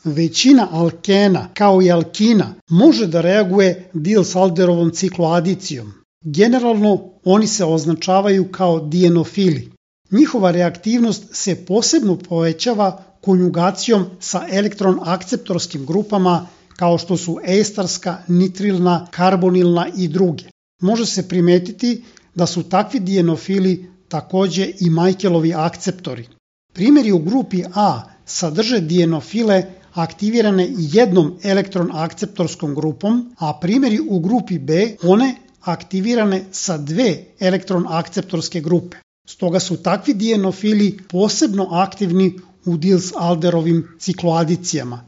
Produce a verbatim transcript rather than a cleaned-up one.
Većina alkena, kao i alkina, može da reaguje Diels-Alderovom cikloadicijom. Generalno, oni se označavaju kao dienofili. Njihova reaktivnost se posebno povećava konjugacijom sa elektron-akceptorskim grupama kao što su estarska, nitrilna, karbonilna i druge. Može se primetiti da su takvi dienofili takođe i Michaelovi akceptori. Primjeri u grupi A sadrže dienofile aktivirane jednom elektron-akceptorskom grupom, a primjeri u grupi B one aktivirane sa dve elektron-akceptorske grupe. Stoga su takvi dienofili posebno aktivni u Diels-Alderovim cikloadicijama.